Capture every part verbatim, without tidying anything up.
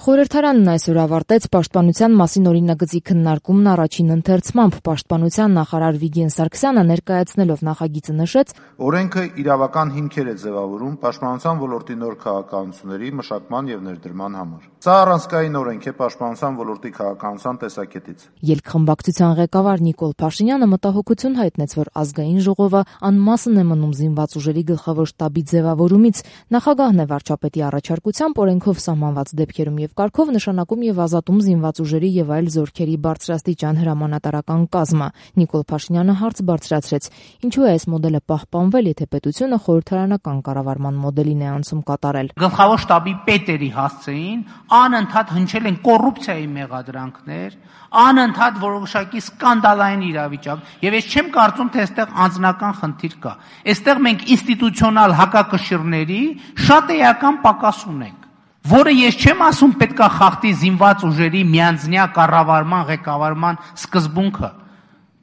Խորհրդարանն այսօր ավարտեց Պաշտպանության մասին օրինագծի քննարկումն առաջին ընթերցմամբ։ Պաշտպանության նախարար Վիգեն Սարգսյանը ներկայացնելով նախագիծը նշեց. Օրենքը իրավական հիմքեր է ձևավորում պաշտպանության ոլորտի նոր քաղաքականությունների մշակման եւ ներդրման համար։ Սա առանցքային օրենք է պաշտպանության ոլորտի քաղաքականության տեսակետից։ Ելքխմբակցության ղեկավար Նիկոլ Փաշինյանը մտահոգություն հայտնեց, որ ազգային ժողովը անմասն է մնում զինված ուժերի գլխավոր շտաբի ձևավորումից։ Նախագահն է վարչապետի առաջարկությամբ օրենքով սահմանված դեպքերում եւ կարգով նշանակում եւ ազատում զինված ուժերի եւ այլ զորքերի բարձրաստիճան հրամանատարական կազմը։ Նիկոլ Փաշինյանը հարց բարձրացրեց. ինչու է այս մոդելը պահպանվել, եթե պետությունը խորհրդարանական կառավարման մոդելին է անցում կատարել։ Գլխավոր շտաբի պետերի հասցեին անընդհատ հնչել են կոռուպցիայի մեղադրանքներ, անընդհատ որոշակի սկանդալային իրավիճակ, եւ ես չեմ կարծում, թե այստեղ անձնական խնդիր կա։ Այստեղ մենք ինստիտուցիոնալ հակակշիռների շատ էական պակաս ունենք, որը ես չեմ ասում պետքա խախտի զինված ուժերի միանձնյա կառավարման ղեկավարման սկզբունքը,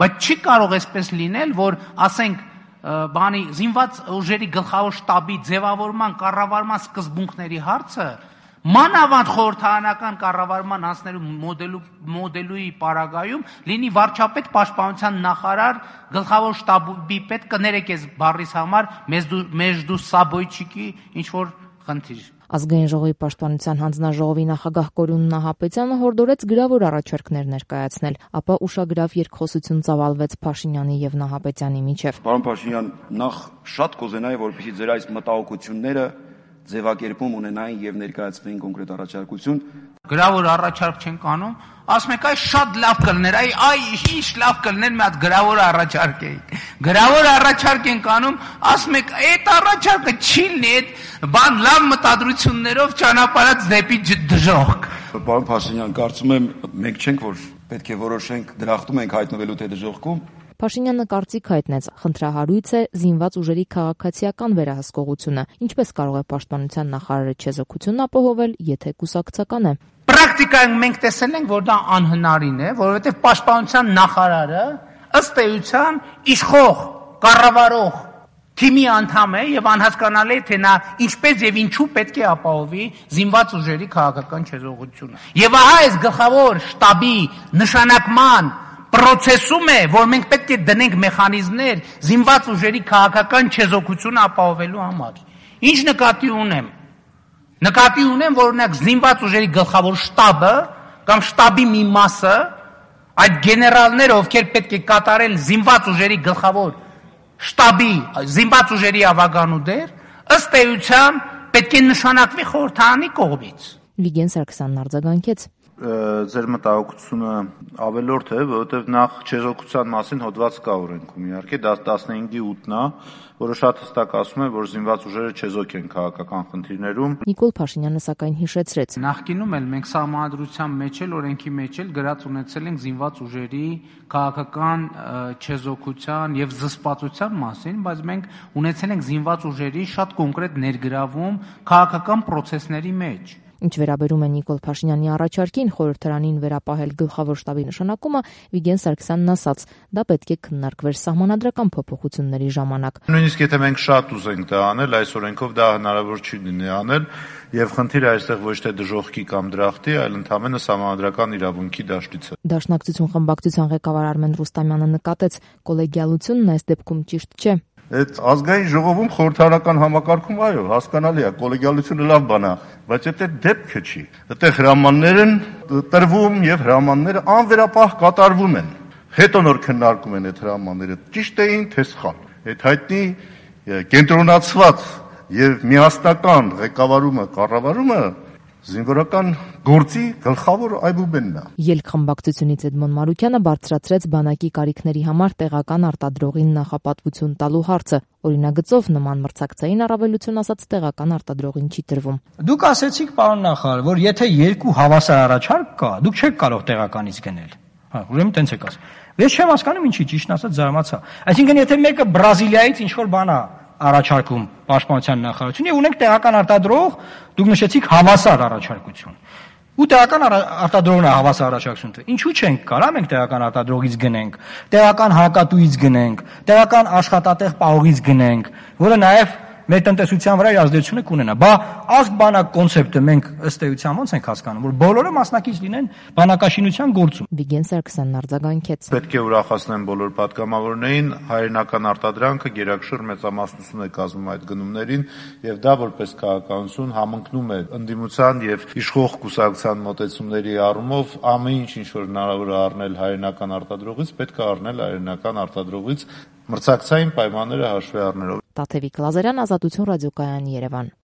բայց չի կարող այսպես լինել, որ ասենք բանի զինված ուժերի գլխավոր շտաբի ձևավորման կառավարման սկզբունքների հարցը մանավանդ խորհրդարանական կառավարման անցնելու մոդելու մոդելուի պարագայում լինի վարչապետ, պաշտպանության նախարար, գլխավոր շտաբի պետ, կներեք ես բառիս համար մեջդու սաբոյչիկի ինչ որ խնդիր։ Ազգային ժողովի պաշտպանության հանձնաժողովի նախագահ Կորյուն Նահապետյանը հորդորեց գրավոր առաջարկներ ներկայացնել, ապա ուշագրավ երկխոսություն ծավալվեց Փաշինյանի եւ Նահապետյանի միջեւ։ Պարոն Փաշինյան, նախ շատ կուզենայի, որպեսզի ձեր այս մտահոգությունները ձևակերպում ունենային եւ ներկայացվեին կոնկրետ առաջարկություն։ Գրավոր առաջարկ չենք անում, ասում եք այ շատ լավ կլներ, այ այ ինչ լավ կլներ, մի հատ գրավոր առաջարկ էի։ Գրավոր առաջարկ ենք անում, ասում եք այդ առաջարկը չի լինի, այդ բան լավ մտադրություններով ճանապարհած դեպի դժոխք։ Պարոն Փաշինյան, կարծում եմ մենք չենք, որ պետք է որոշենք դրախտում ենք հայտնվելու թե դժոխքում։ Փաշինյանը կարծիք հայտնեց, խնդրահարույց է զինված ուժերի քաղաքացիական վերահսկողությունը, ինչպես կարող է պաշտպանության նախարարը չեզոքություն ապահովել, եթե կուսակցական է։ Պրակտիկայում մենք տեսել ենք, որ դա անհնարին է, որովհետև պաշտպանության նախարարը ըստ էության իշխող, կառավարող թիմի անդամ է եւ անհասկանալի է, թե նա ինչպես եւ ինչու պետք է ապահովի զինված ուժերի քաղաքական չեզոքությունը։ Եվ ահա այս գլխավոր շտաբի նշանակման պրոցեսում է, որ մենք պետք է դնենք մեխանիզմներ զինված ուժերի քաղաքական չեզոքությունը ապահովելու համար։ Ինչ նկատի ունեմ։ Նկատի ունեմ, որ օրինակ զինված ուժերի գլխավոր շտաբը կամ շտաբի մի մասը, այդ գեներալները, ովքեր պետք է կատարեն զինված ուժերի գլխավոր շտաբի զինված ուժերի ավագանուդեր, ըստ էության պետք է նշանակվի խորհրդարանի կողմից։ Վիգեն Սարգսյանն արձագանքեց. Ձեր մտահոգությունը ավելորդ է, որովհետև նախ չեզոքության մասին հոդված կա օրենքում, իհարկե տասնհինգի ութն է, որը շատ հստակ ասում է, որ զինված ուժերը չեզոք են քաղաքական խնդիրներում։ Նիկոլ Փաշինյանը սակայն հիշեցրեց. Նախկինում էլ մենք սահմանադրության մեջ էլ օրենքի մեջ էլ գրած ունեցել ենք զինված ուժերի քաղաքական չեզոքության եւ զսպվածության մասին, բայց մենք ունեցել ենք զինված ուժերի շատ կոնկրետ ներգրավում քաղաքական process-ների մեջ։ Ինչ վերաբերում է Նիկոլ Փաշինյանի առաջարկին խորհրդարանին վերապահել գլխավոր շտաբի նշանակումը, Վիգեն Սարգսյանն ասաց, դա պետք է քննարկվեր սահմանադրական փոփոխությունների ժամանակ։ Նույնիսկ եթե մենք շատ ուզենք դա անել, այս օրենքով դա հնարավոր չի լինի անել, եւ խնդիրը այստեղ ոչ թե դժոխքի կամ դրախտի, այլ ընդհանրապես սահմանադրական իրավունքի դաշտից է։ Դաշնակցություն խմբակցության ղեկավար Արմեն Ռուստամյանը նկատեց, կոլեգիալությունն այս դեպքում ճիշտ չէ։ Այդ ազգային ժողովում խորհրդարանական համակարգում այո, հասկանալի է, կոլեգիալությունը լավ բան է, բայց այդ դեպքը չի։ Այդտեղ հրամաններ են տրվում եւ հրամանները անվերապահ կատարվում են։ Հետո նոր քննարկում են այդ հրամանները, ճիշտ էին թե սխալ։ Այդ հայտնի կենտրոնացված եւ միասնական ղեկավարումը, կառավարումը զինվորական գործի գլխավոր այբուբենն է։ Ելքխմբակցությունից Էդմոն Մարուկյանը բարձրացրեց բանակի կարիքների համար տեղական արտադրողին նախապատվություն տալու հարցը։ Օրինագծով նման մրցակցային առավելություն ասած տեղական արտադրողին չի տրվում։ Դուք ասեցիք, պարոն նախարար, որ եթե երկու հավասար առաջարկ կա, դուք չեք կարող տեղականից գնել։ Հա, ուրեմն տենց եք ասում։ Ես չեմ հասկանում ինչի, ճիշտ ասած զարմացա։ Այսինքն եթե մեկը Բրազիլիայից ինչ որ բան է առաջարկում պաշտպանության նախարարություն եւ ունենք տեղական արտադրող, դուք նշեցիք հավասար առաջարկություն։ Ու տեղական արտադրողն է հավասար առաջարկություն։ Ինչու չենք կարա մենք տեղական արտադրողից գնենք, տեղական հարկատուից գնենք, տեղական աշխատատեղ պահողից գնենք, որը նաեւ մեր տնտեսության վրա իր ազդեցությունը կունենա։ Բա ազգ բանակ կոնցեպտը մենք ըստ էության ոնց ենք հասկանում, որ բոլորը մասնակից լինեն բանակաշինության գործում։ Վիգեն Սարգսյանն արձագանքեց. Պետք է ուրախացնեն բոլոր պատգամավորներին, հայրենական արտադրանքը գերակշռ մեծամասնություն է կազմում այդ գնումներին, եւ դա որպես քաղաքականություն համընկնում է ընդդիմության եւ իշխող կուսակցության մոտեցումների առումով ամեն ինչ ինչ որ հնարավոր է առնել հայրենական արտադրողից, պետք է առնել հայրենական արտադրողից մրցակցային պայմանները հաշվի առնելով։ Տաթևիկ Լազարյան, Ազատություն ռադիոկայան, Երևան։